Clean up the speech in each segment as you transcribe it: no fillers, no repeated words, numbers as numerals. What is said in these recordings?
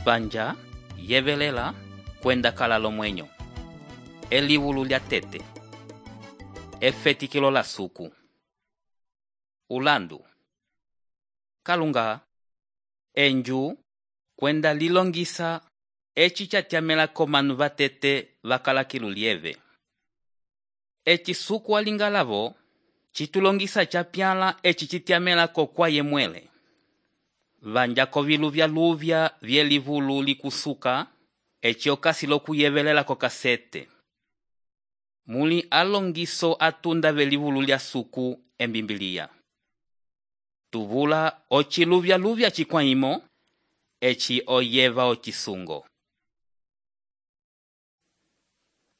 Vanja, yevelela, kwenda kala lomwenyo. Eliwulu lya tete. Efetikilo la suku. Ulandu. Kalunga. Enju, kwenda lilongisa, eci chatyamela komanu vatete vakala kilulieve. Eci suku walingalavo, chitulongisa chapyala eci chityamela kokwa yemwele. Vanja koviluvya luvya vyelivulu likusuka, eci okasi lokuyevelela kokasete. Muli alongiso atunda velivulu lya suku embimbilia. Tuvula ochiluvya luvya chikwaimo, eci oyeva ochisungo.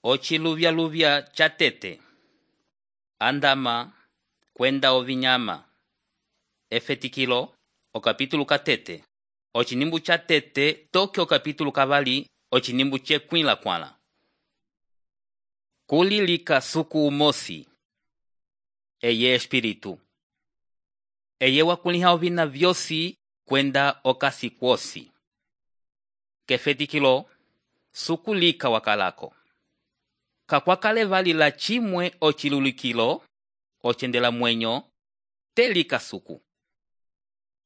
Ochiluvya luvya chatete. Andama, kwenda ovinyama. Efetikilo, okapitulu katete. Ochinimbu chatete, toke okapitulu kavali, ochinimbu chekwila kwala. Kulilika suku umosi. Eye espiritu. Eye wakuliha ovina vyosi, kwenda okasi kwosi. Kefetikilo, suku lika wakalako. Kakwakale vali la chimwe ochilulikilo, ochendela mwenyo, telika suku.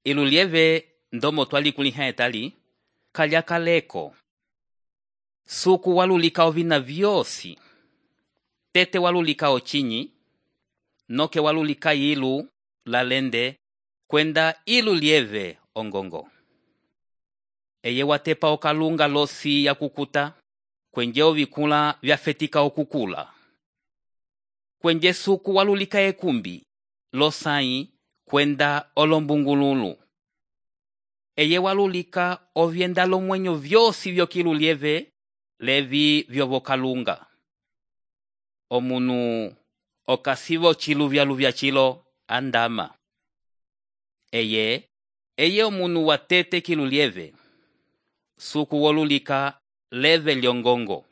Ilulieve ndomo twali kuliha etali, kalyakaleko. Suku walulika ovina vyosi. Tete walulika ochinyi, noke walulika ilu, lalende, kwenda ilulieve ongongo. Eye watepa okalunga losi ya kukuta, kwenje ovikula vyafetika okukula. Kwenje suku walulika ekumbi, losai, kwenda olombungululu. Eye walulika ovyenda lomwenyo vyosi vyokilulieve, levi vyovokalunga. Omunu okasivo chiluvya luvya chilo, andama. Eye omunu watete kilulieve. Suku walulika leve lyongongo.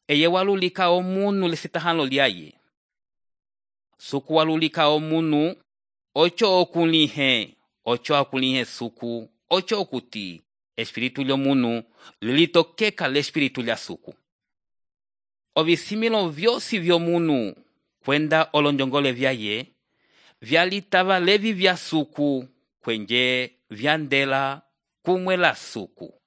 Eye walulika omunu lesitahalo lyaye. Suku walulika omunu, ocho okulihe suku, ocho okuti, espiritu lyomunu, lilitokeka l'espiritu lya suku. Ovisimilo vyosi vyomunu, kwenda olonjongole vyaye, vyalitava levi vya suku, kwenje vyandela kumwe la suku.